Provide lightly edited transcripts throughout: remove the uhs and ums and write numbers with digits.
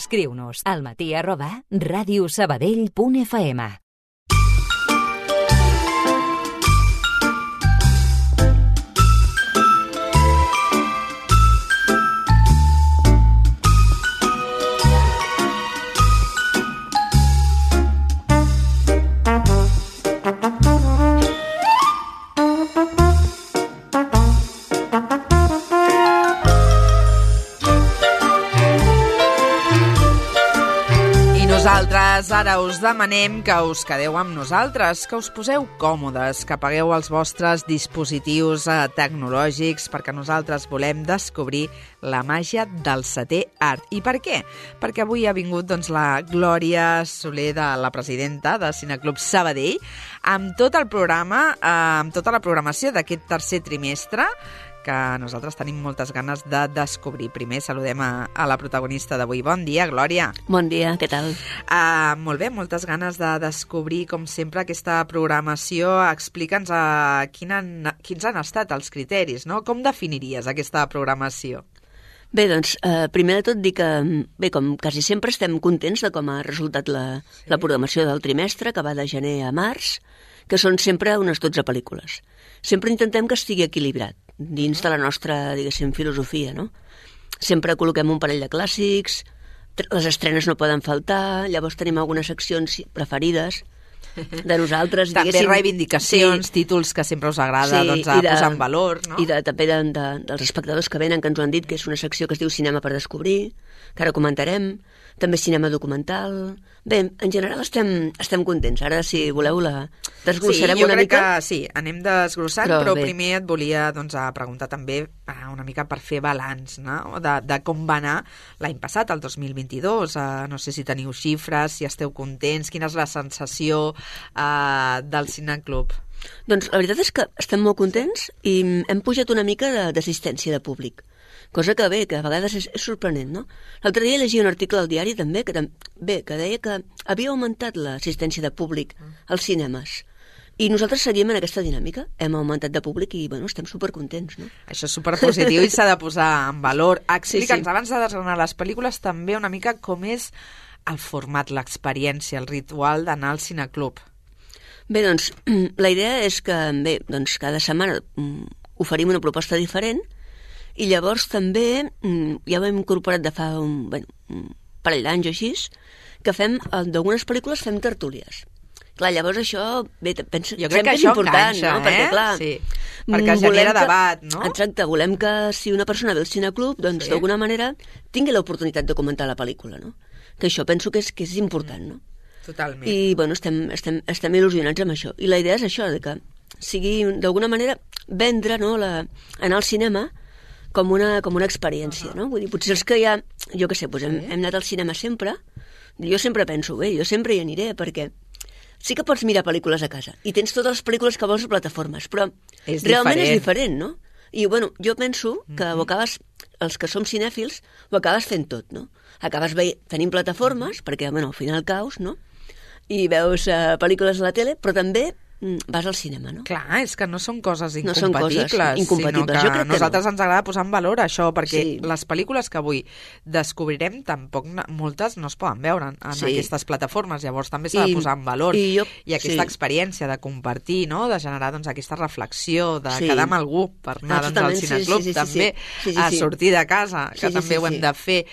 Escriu-nos al matí@radiosabadell.fm. Nosaltres ara us demanem que us quedeu amb nosaltres, que us poseu còmodes, que apagueu els vostres dispositius tecnològics, perquè nosaltres volem descobrir la màgia del setè art. I per què? Perquè avui ha vingut la Glòria Soler, la presidenta de Cineclub Sabadell, amb tot el programa, amb tota la programació d'aquest tercer trimestre, que nosaltres tenim moltes ganes de descobrir. Primer saludem a la protagonista d'avui. Bon dia, Glòria. Bon dia, què tal? Molt bé, moltes ganes de descobrir, com sempre, aquesta programació. Explica'ns quins han estat els criteris, no? Com definiries aquesta programació? Bé, doncs, primer de tot dir que, bé, com quasi sempre estem contents de com ha resultat la programació del trimestre, que va de gener a març, que són sempre unes 12 pel·lícules. Sempre intentem que estigui equilibrat dins de la nostra, diguéssim, filosofia, no? Sempre col·loquem un parell de clàssics, les estrenes no poden faltar, llavors tenim algunes seccions preferides de nosaltres. També reivindicacions, sí, títols que sempre us agrada posar en valor, no? I també dels espectadors que venen, que ens ho han dit, que és una secció que es diu Cinema per descobrir, que ara comentarem, també cinema documental. Bé, en general estem contents. Ara, si voleu, la desglossarem una mica. Sí, jo crec que sí, anem desglossant, però primer et volia preguntar també una mica per fer balanç, no? De com va anar l'any passat, el 2022. No sé si teniu xifres, si esteu contents, quina és la sensació del Cineclub? Doncs la veritat és que estem molt contents i hem pujat una mica d'assistència de públic. Cosa que, bé, que a vegades és sorprenent, no? L'altre dia llegia un article al diari també que deia que havia augmentat l'assistència de públic als cinemes. I nosaltres seguim en aquesta dinàmica. Hem augmentat de públic i, bueno, estem supercontents, no? Això és superpositiu i s'ha de posar en valor. Explica'ns, abans de desgranar les pel·lícules, també una mica com és el format, l'experiència, el ritual d'anar al cineclub. Bé, doncs, la idea és que, bé, doncs cada setmana oferim una proposta diferent. I llavors també, ja ho hem incorporat de fa un parell d'anys o així, que d'algunes pel·lícules fem tertúlies. Clar, llavors això, bé, penso, jo crec que això important, enganxa, no? Perquè, clar, sí, perquè genera debat, no? Exacte, volem que si una persona ve al cineclub, doncs d'alguna manera tingui l'oportunitat de comentar la pel·lícula, no? Que això penso que és important, no? Totalment. I, bueno, estem il·lusionats amb això. I la idea és això, de que sigui, d'alguna manera, vendre, no, anar al cinema com una experiència, no? Vull dir, potser els que ja, jo què sé, doncs hem anat al cinema sempre, jo sempre penso, bé, jo sempre hi aniré, perquè sí que pots mirar pel·lícules a casa, i tens totes les pel·lícules que vols a plataformes, però realment és diferent, no? I, bueno, jo penso que ho acabes, els que som cinèfils, ho acabes fent tot, no? Acabes tenint plataformes, perquè, bueno, al final caus, no? I veus pel·lícules a la tele, però també vas al cinema, no? Clar, és que no són coses incompatibles, sinó que nosaltres ens agrada posar en valor això, perquè les pel·lícules que avui descobrirem tampoc moltes no es poden veure en aquestes plataformes, llavors també s'ha de posar en valor i aquesta experiència de compartir, no? De generar aquesta reflexió, de quedar amb algú per anar al cineclub, també a sortir de casa, que també ho hem de fer.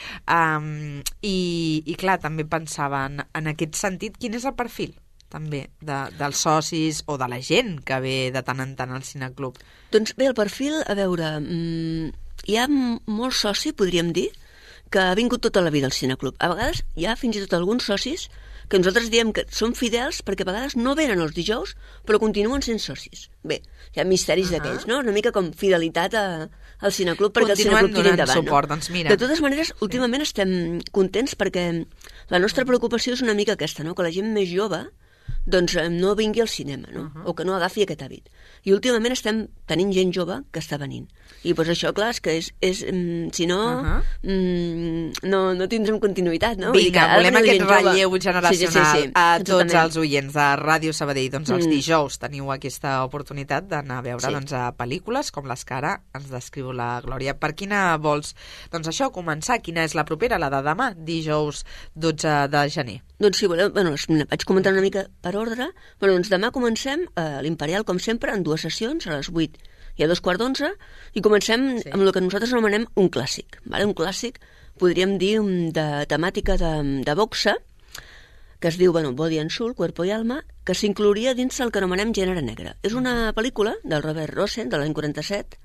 I clar, també pensava en aquest sentit, quin és el perfil també dels socis o de la gent que ve de tant en tant al cineclub? Doncs bé, el perfil, a veure, hi ha molt soci, podríem dir, que ha vingut tota la vida al cineclub. A vegades hi ha fins i tot alguns socis que nosaltres diem que són fidels perquè a vegades no venen els dijous, però continuen sent socis. Bé, hi ha misteris d'aquells, no? Una mica com fidelitat al cineclub perquè el cineclub tiri endavant. Suport, doncs mira. De totes maneres, últimament estem contents perquè la nostra preocupació és una mica aquesta, no? Que la gent més jove doncs no vingui al cinema, no? O que no agafi aquest hàbit. I últimament estem tenint gent jove que està venint. I doncs això, clar, és que si no, no tindrem continuïtat, no? Vinga, volem aquest relleu generacional sí, a tots els oients de Ràdio Sabadell. Doncs els dijous teniu aquesta oportunitat d'anar a veure a pel·lícules com les que ara ens descriu la Glòria. Per quina vols, doncs això, començar? Quina és la propera, la de demà, dijous 12 de gener? Doncs si voleu, vaig comentar una mica per ordre. Doncs demà comencem a l'Imperial, com sempre, en 2 sessions, a les 8 i a 2:15, i comencem amb el que nosaltres anomenem un clàssic. Un clàssic, podríem dir, de temàtica de boxa, que es diu Body and Soul, Cuerpo y Alma, que s'inclouria dins el que anomenem gènere negre. És una pel·lícula del Robert Rosen, de l'any 47,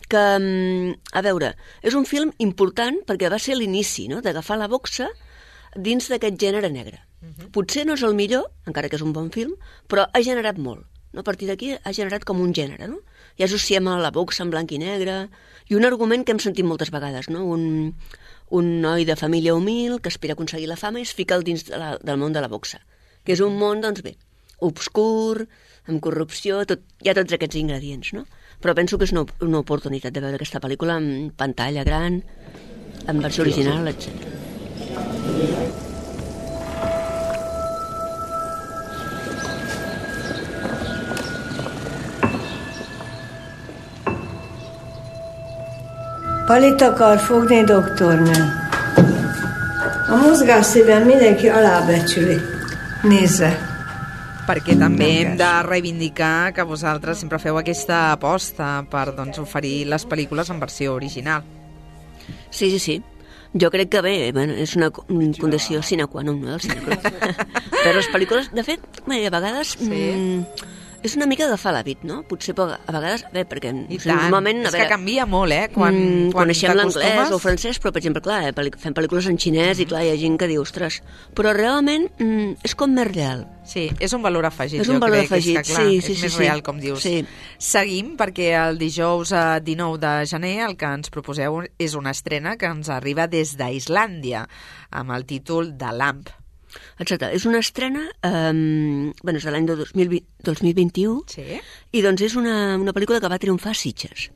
que, a veure, és un film important perquè va ser l'inici, no?, d'agafar la boxa dins d'aquest gènere negre. Potser no és el millor, encara que és un bon film, però ha generat molt. A partir d'aquí ha generat com un gènere, no? I associem a la boxa en blanc i negre, i un argument que hem sentit moltes vegades, no? Un noi de família humil que aspira a aconseguir la fama i es fica dins del món de la boxa, que és un món, doncs bé, obscur, amb corrupció, hi ha tots aquests ingredients, no? Però penso que és una oportunitat de veure aquesta pel·lícula en pantalla gran, en versió original, etc. Palit akar fogni, doktornő. A mozgásszívem mindenki alábecsüli. Nézze. Perquè també hem de reivindicar que vosaltres sempre feu aquesta aposta per oferir les pel·lícules en versió original. Sí. Jo crec que bé, és una condició sine qua non, no, del cineclub. Però les pel·lícules, de fet, a vegades... És una mica agafar l'hàbit, no? Potser a vegades... Bé, perquè... I tant, normalment, és que canvia molt, quan coneixem l'anglès o el francès, però, per exemple, clar, fem pel·lícules en xinès i, clar, hi ha gent que diu, ostres, però realment és com més real. Sí, és un valor afegit, és un valor afegit, és que, clar, és més real, com dius. Sí. Seguim, perquè el dijous 19 de gener el que ens proposeu és una estrena que ens arriba des d'Islàndia, amb el títol de Lamp. Exacte, és una estrena, és de l'any 2021, i doncs és una pel·lícula que va triomfar a Sitges,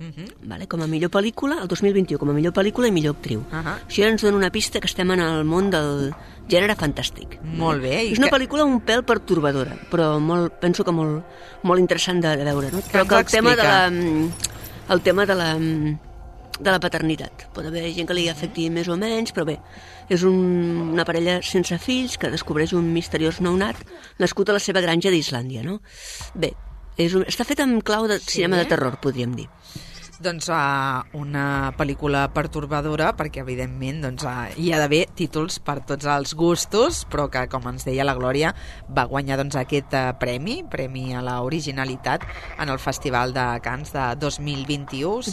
com a millor pel·lícula, el 2021, com a millor pel·lícula i millor actriu. Això ja ens dona una pista que estem en el món del gènere fantàstic. Molt bé. És una pel·lícula un pèl pertorbadora, però penso que molt interessant de veure, no? Però que el tema de la paternitat. Pot haver gent que li afecti més o menys, però bé, és una parella sense fills que descobreix un misteriós nounat nascut a la seva granja d'Islàndia, no? Bé, està fet en clau de cinema de terror, podríem dir. Doncs una pel·lícula pertorbadora, perquè evidentment hi ha d'haver títols per tots els gustos, però que, com ens deia la Glòria, va guanyar aquest premi a l'originalitat en el Festival de Cannes de 2021.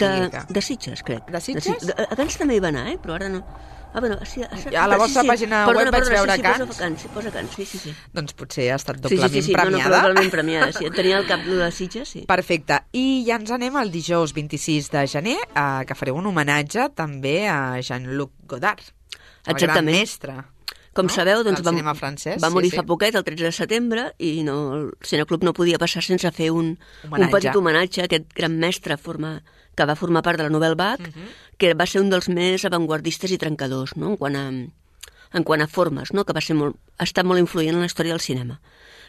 De Sitges, crec. De Sitges? A Cannes també hi va anar, però ara no. A la vostra pàgina web vaig veure Cannes. Posa Cannes, sí. Doncs potser ha estat doblement premiada. Doblement premiada, sí. Tenia al cap de Sitges, sí. Perfecte. I ja ens anem al dijous 26 de gener, que fareu un homenatge també a Jean-Luc Godard, el gran mestre. Com sabeu, doncs va morir fa poquet, el 13 de setembre, i el Cineclub no podia passar sense fer un petit homenatge a aquest gran mestre que va formar part de la Nouvelle Vague, que va ser un dels més avantguardistes i trencadors, no? en quant a formes, no? Que ha estat molt influent en la història del cinema.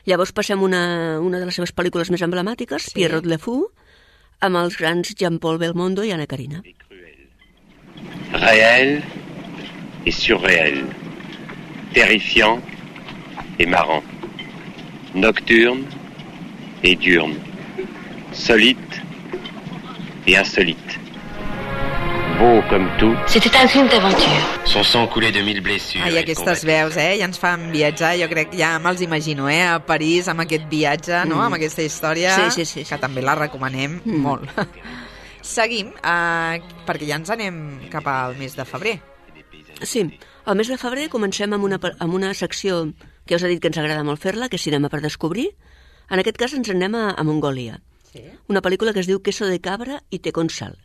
Llavors passem una de les seves pel·lícules més emblemàtiques, Pierrot le Fou, amb els grans Jean-Paul Belmondo i Anna Karina. Réel et surréel, terrifiant et marrant, nocturne et diurne, solide et insolite. Beau comme tout. C'était un film d'aventure. Son sang coulait de 1000 blessures. Ai, aquestes veus, ja ens fan viatjar, jo crec, ja me'ls imagino, a París, amb aquest viatge, no?, amb aquesta història, sí. que també la recomanem molt. Seguim, perquè ja ens anem cap al mes de febrer. Sí, al mes de febrer comencem amb una secció que us he dit que ens agrada molt fer-la, que és Cinema per descobrir. En aquest cas ens anem a Mongòlia. Una pel·lícula que es diu Queso de cabra i té con sal,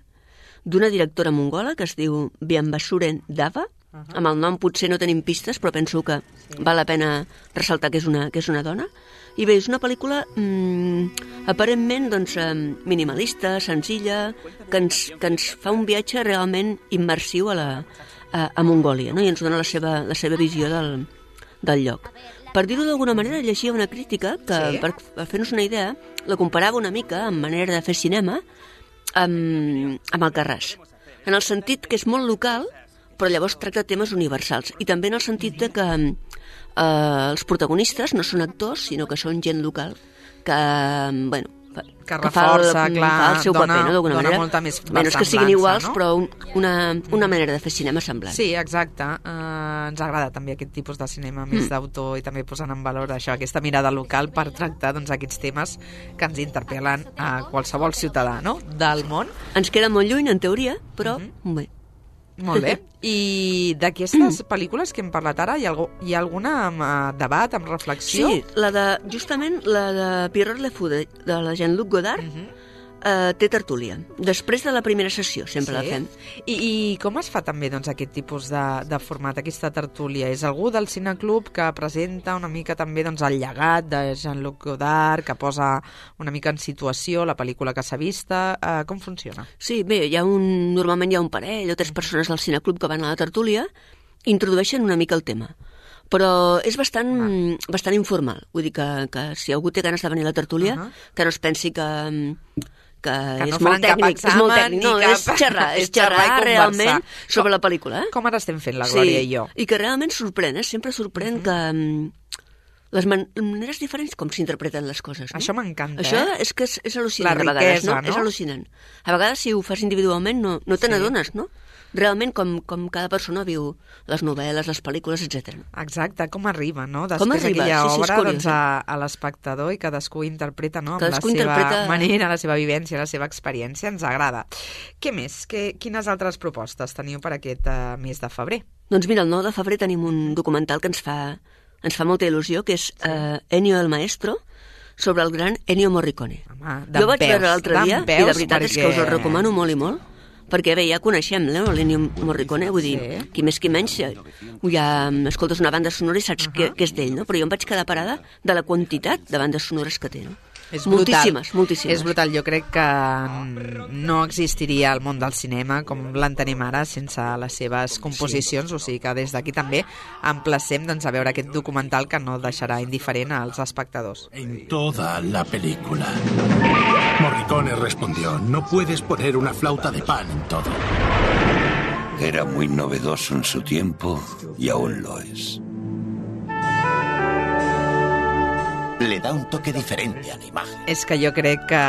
d'una directora mongola que es diu Biambasuren Dava, Amb el nom potser no tenim pistes, però penso que val la pena ressaltar que és una dona. I bé, és una pel·lícula aparentment doncs, minimalista, senzilla, que ens fa un viatge realment immersiu a Mongòlia, no? I ens dona la seva visió del lloc. Per dir-ho d'alguna manera, llegia una crítica que, per fer-nos una idea, la comparava una mica amb manera de fer cinema amb Alcarràs. En el sentit que és molt local, però llavors tracta temes universals. I també en el sentit de que els protagonistes no són actors, sinó que són gent local que, bueno, que reforça, clar, fa el seu paper, no? D'alguna manera. Molta més no és que siguin iguals, no? Però una manera de fer cinema semblant. Sí, exacte. Ens agrada també aquest tipus de cinema més d'autor i també posant en valor això, aquesta mirada local per tractar doncs, aquests temes que ens interpel·len a qualsevol ciutadà, no?, del món. Ens queda molt lluny, en teoria, però bé. Molt bé. I d'aquestes pel·lícules que hem parlat ara, hi ha algun debat, amb reflexió? Sí, justament la de Pierrot Le Fou, de la Jean-Luc Godard, té tertúlia. Després de la primera sessió, sempre la fem. I com es fa també doncs, aquest tipus de format, aquesta tertúlia? És algú del cineclub que presenta una mica també doncs, el llegat de Jean-Luc Godard, que posa una mica en situació la pel·lícula que s'ha vista? Com funciona? Sí, bé, normalment hi ha un parell o 3 persones del cineclub que van a la tertúlia i introdueixen una mica el tema. Però és bastant informal. Vull dir que si algú té ganes de venir a la tertúlia, que no es pensi que és molt tècnic, no, és xerrar realment sobre la pel·lícula. Com ara estem fent la Glòria i jo. I que realment sorprèn, sempre sorprèn que les maneres diferents com s'interpreten les coses. No? Això m'encanta, Això és que és al·lucinant, a vegades, no? És al·lucinant. A vegades, si ho fas individualment, no te n'adones, no? Realment com cada persona viu les novel·les, les pel·lícules, etc. Exacte, com arriba, no? Després aquella obra doncs, a l'espectador i cadascú interpreta, no? Amb la seva manera, la seva vivència, la seva experiència, ens agrada. Què més? Quines altres propostes teniu per aquest mes de febrer? Doncs mira, el 9 de febrer tenim un documental que ens fa molta il·lusió, que és Ennio el Maestro, sobre el gran Ennio Morricone. Jo vaig veure l'altre dia, i de veritat és que us el recomano molt i molt, perquè bé, ja coneixem l'Ennio Morricone, vull dir, qui més qui menys, ja escoltes una banda sonora i saps què és d'ell, no? Però jo em vaig quedar parada de la quantitat de bandes sonores que té, no? És brutal. Moltíssimes. És brutal. Jo crec que no existiria el món del cinema com l'entenem ara sense les seves composicions, o sigui que des d'aquí també emplacem doncs, a veure aquest documental que no deixarà indiferent als espectadors. En toda la película. Morricone respondió, no puedes poner una flauta de pan en todo. Era muy novedoso en su tiempo y aún lo es. Le da un toque diferente a la imagen. És que jo crec que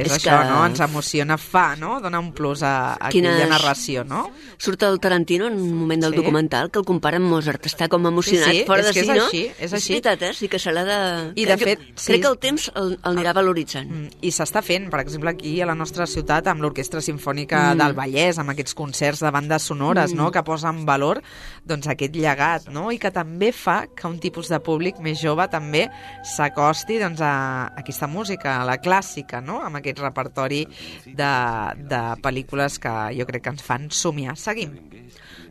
és això, no? Ens emociona, no? Dona un plus a aquella narració, no? Surt el Tarantino en un moment del documental que el compara amb Mozart. Està com emocionat, fora de si, no? És així. És veritat, sí que se l'ha de... I de fet, crec que el temps el anirà valoritzant. I s'està fent, per exemple, aquí a la nostra ciutat amb l'Orquestra Simfònica del Vallès, amb aquests concerts de bandes sonores, no? Que posen en valor doncs, aquest llegat, no? I que també fa que un tipus de públic més jove també s'acosti doncs, a aquesta música, a la clàssica, no? Amb aquest repertori de pel·lícules que jo crec que ens fan somiar. Seguim.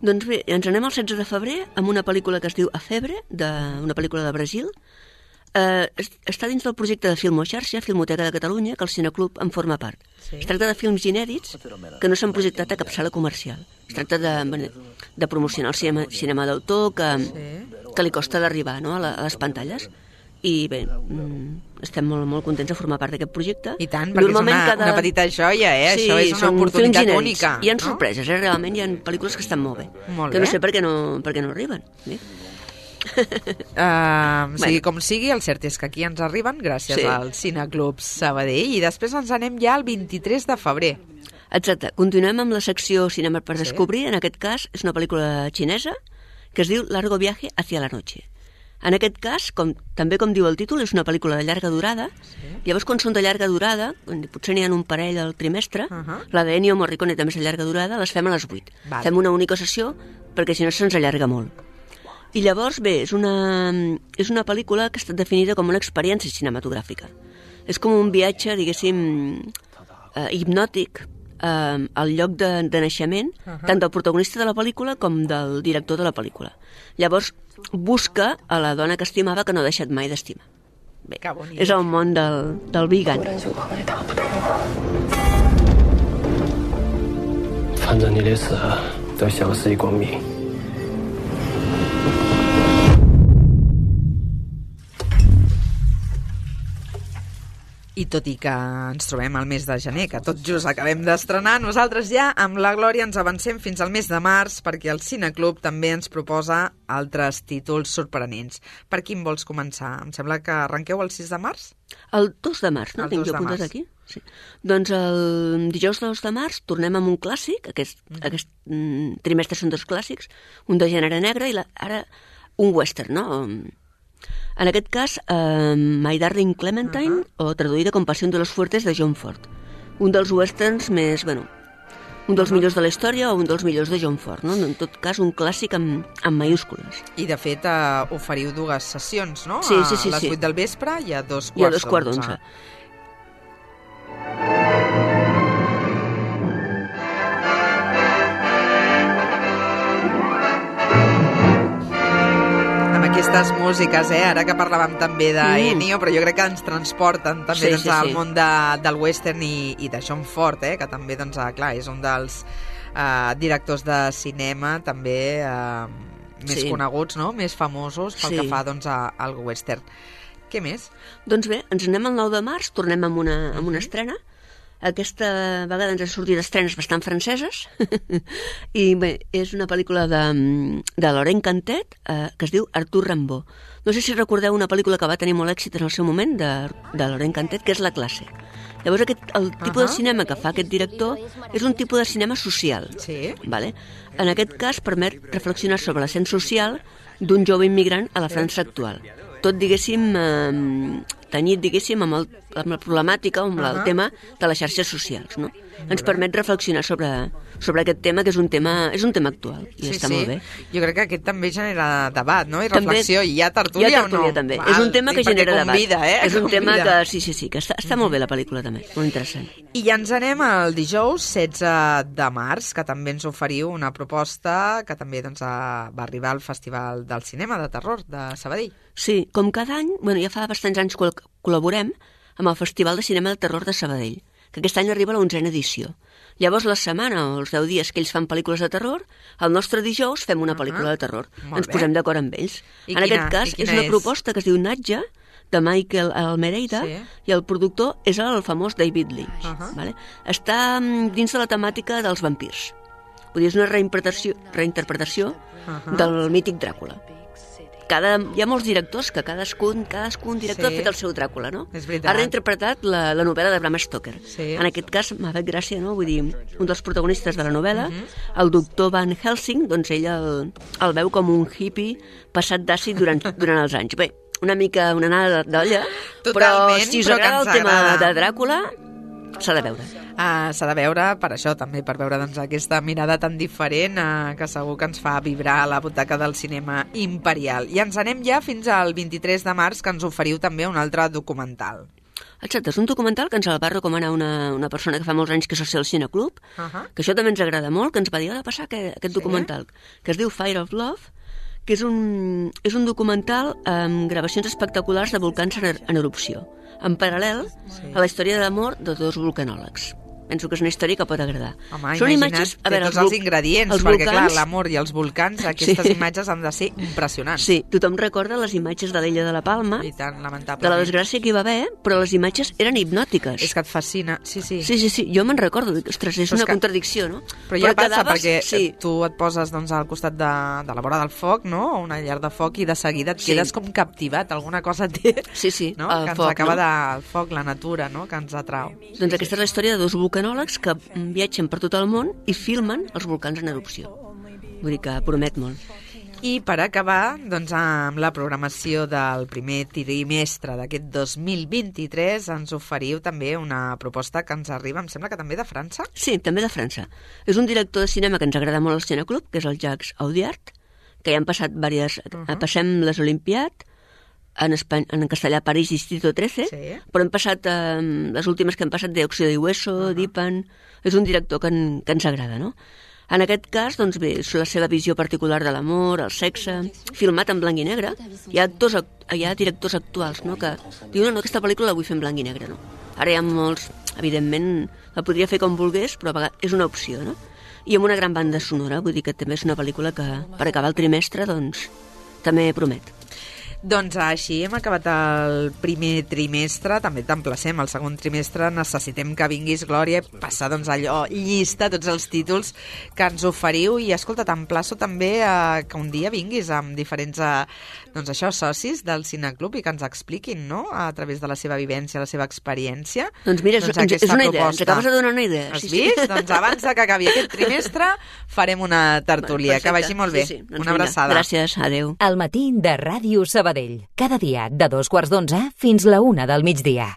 Doncs bé, ens anem al 16 de febrer amb una pel·lícula que es diu A Febre, una pel·lícula de Brasil. Està dins del projecte de Filmoxarxa, Filmoteca de Catalunya, que el Cineclub en forma part. Es tracta de films inèdits que no s'han projectat a cap sala comercial. Es tracta de promocionar el cinema d'autor que li costa d'arribar, no? a les pantalles. I bé, estem molt contents de formar part d'aquest projecte. I tant, perquè és una petita joia, Sí, això és una oportunitat única. Hi ha sorpreses, realment hi ha pel·lícules que estan molt bé. Molt bé. No sé per què no arriben. Bé. Com sigui, el cert és que aquí ens arriben gràcies al Cineclub Sabadell i després ens anem ja al 23 de febrer. Exacte, continuem amb la secció Cinema per descobrir. En aquest cas és una pel·lícula xinesa que es diu Largo viaje hacia la noche. En aquest cas, també com diu el títol, és una pel·lícula de llarga durada. Llavors, quan són de llarga durada, potser n'hi ha un parell al trimestre, la d'Ennio Morricone també és de llarga durada, les fem a les 8. Fem una única sessió perquè si no se'ns allarga molt. I llavors, bé, és una pel·lícula que ha estat definida com una experiència cinematogràfica. És com un viatge, diguéssim, hipnòtic el lloc de naixement tant del protagonista de la pel·lícula com del director de la pel·lícula. Llavors busca a la dona que estimava que no ha deixat mai d'estimar. Bé, és el món del vegan. 反正你的死都消失一光明。 I tot i que ens trobem al mes de gener, que tot just acabem d'estrenar, nosaltres ja amb la Glòria ens avancem fins al mes de març perquè el Cineclub també ens proposa altres títols sorprenents. Per quin vols començar? Em sembla que arrenqueu el 6 de març? El 2 de març, no? Tinc jo apuntat aquí? Sí. Doncs el dijous 2 de març tornem amb un clàssic, aquest trimestre són 2 clàssics, un de gènere negre i ara un western, no? En aquest cas, My Darling Clementine, o traduïda com Pasión de los Fuertes, de John Ford. Un dels westerns més, un dels millors de la història o un dels millors de John Ford, no? En tot cas, un clàssic amb mayúscules. I, de fet, oferiu 2 sessions, no? Sí. A les 8 del vespre i a 2 quarts d'onze. I a 2 quarts d'onze. Aquestes músiques, ara que parlàvem també d'Ennio, però jo crec que ens transporten també al món del western i de John Ford, que també, clar, és un dels directors de cinema també més coneguts, no? Més famosos pel que fa al western. Què més? Doncs bé, ens anem el 9 de març, tornem amb una estrena. Aquesta vegada ens han sortit estrenes bastant franceses i bé, és una pel·lícula de Laurent Cantet que es diu Arthur Rimbaud. No sé si recordeu una pel·lícula que va tenir molt èxit en el seu moment de Laurent Cantet, que és La classe. Llavors el tipus de cinema que fa aquest director és un tipus de cinema social. Sí. Vale? En aquest cas permet reflexionar sobre l'ascens social d'un jove immigrant a la França actual. Tot, diguéssim, tenyit, diguéssim, amb la problemàtica, amb el tema de les xarxes socials, no? Ens permet reflexionar sobre aquest tema, que és un tema actual, i està molt bé. Jo crec que aquest també genera debat, no? I reflexió, i hi ha tertúlia o no? Hi ha tertúlia, també. És un tema que genera debat. És un tema que, sí, que està molt bé la pel·lícula, també, molt interessant. I ja ens anem al dijous 16 de març, que també ens oferiu una proposta que també va arribar al Festival del Cinema de Terror de Sabadell. Sí, com cada any, ja fa bastants anys que col·laborem amb el Festival de Cinema de Terror de Sabadell, que aquest any arriba a la 11a edició. Llavors, la setmana o els 10 dies que ells fan pel·lícules de terror, el nostre dijous fem una pel·lícula de terror. Ens posem d'acord amb ells. En aquest cas, és una proposta que es diu Natja, de Michael Almereida, i el productor és el famós David Lynch. Està dins de la temàtica dels vampirs. Vull dir, és una reinterpretació del mític Dràcula. Hi ha molts directors que cadascun director ha fet el seu Dràcula, no? Ha reinterpretat la novel·la de Bram Stoker. En aquest cas m'ha fet gràcia, no? Vull dir, un dels protagonistes de la novel·la, el doctor Van Helsing, doncs ell el veu com un hippie passat d'àcid durant els anys. Bé, una mica una anada d'olla, però si us agrada el tema de Dràcula, s'ha de veure. S'ha de veure per això també, per veure aquesta mirada tan diferent que segur que ens fa vibrar a la butaca del cinema imperial. I ens anem ja fins al 23 de març, que ens oferiu també un altre documental. Exacte, és un documental que ens el va recomanar una persona que fa molts anys que és soci al Cineclub, que això també ens agrada molt, que ens va dir, ha de passar aquest documental, que es diu Fire of Love, que és un documental amb gravacions espectaculars de volcans en erupció, en paral·lel a la història d'amor de 2 vulcanòlegs. Penso que és una història que pot agradar. Home, imagina't, té tots els ingredients, perquè clar, l'amor i els volcans, aquestes imatges han de ser impressionants. Sí, tothom recorda les imatges de l'illa de la Palma, i tant, lamentablement, de la desgràcia que hi va haver, però les imatges eren hipnòtiques. És que et fascina, sí. Sí, jo me'n recordo, ostres, és una contradicció, no? Però ja passa, perquè tu et poses al costat de la vora del foc, no? O una llar de foc, i de seguida et quedes com captivat, alguna cosa té, sí, no? Que ens acaba del foc, la natura, no? Que ens atrau. Doncs aquesta és la història de 2 vulcanòlegs que viatgen per tot el món i filmen els volcans en erupció. Vull dir que promet molt. I per acabar, amb la programació del primer trimestre d'aquest 2023, ens oferiu també una proposta que ens arriba, em sembla que també de França? Sí, també de França. És un director de cinema que ens agrada molt al Cineclub, que és el Jacques Audiard, que ja han passat Passem les Olimpiades, en castellà París Distrito 13, però hem passat, les últimes que hem passat, de Óxido y Hueso, Dipan, és un director que ens agrada, no? En aquest cas, doncs bé, és la seva visió particular de l'amor, el sexe, filmat en blanc i negre. Hi ha directors actuals, no?, que diuen, no, aquesta pel·lícula la vull fer en blanc i negre, no? Ara hi ha molts, evidentment, la podria fer com volgués, però a vegades és una opció, no? I amb una gran banda sonora, vull dir que també és una pel·lícula que, per acabar el trimestre, doncs, també promet. Doncs així hem acabat el primer trimestre, també t'emplacem al segon trimestre, necessitem que vinguis, Glòria, passar doncs allò, llista tots els títols que ens oferiu i escolta, t'emplaço també que un dia vinguis amb diferents doncs això, socis del Cineclub i que ens expliquin, no?, a través de la seva vivència, la seva experiència. Doncs mira, és una idea, ens acabes de donar una idea. Has vist? Doncs abans que acabi aquest trimestre farem una tertúlia. Que vagi molt bé. Doncs una abraçada. Gràcies, adeu. El matí de Ràdio Sabadell. Cada dia de 2:45 fins la 1 del migdia.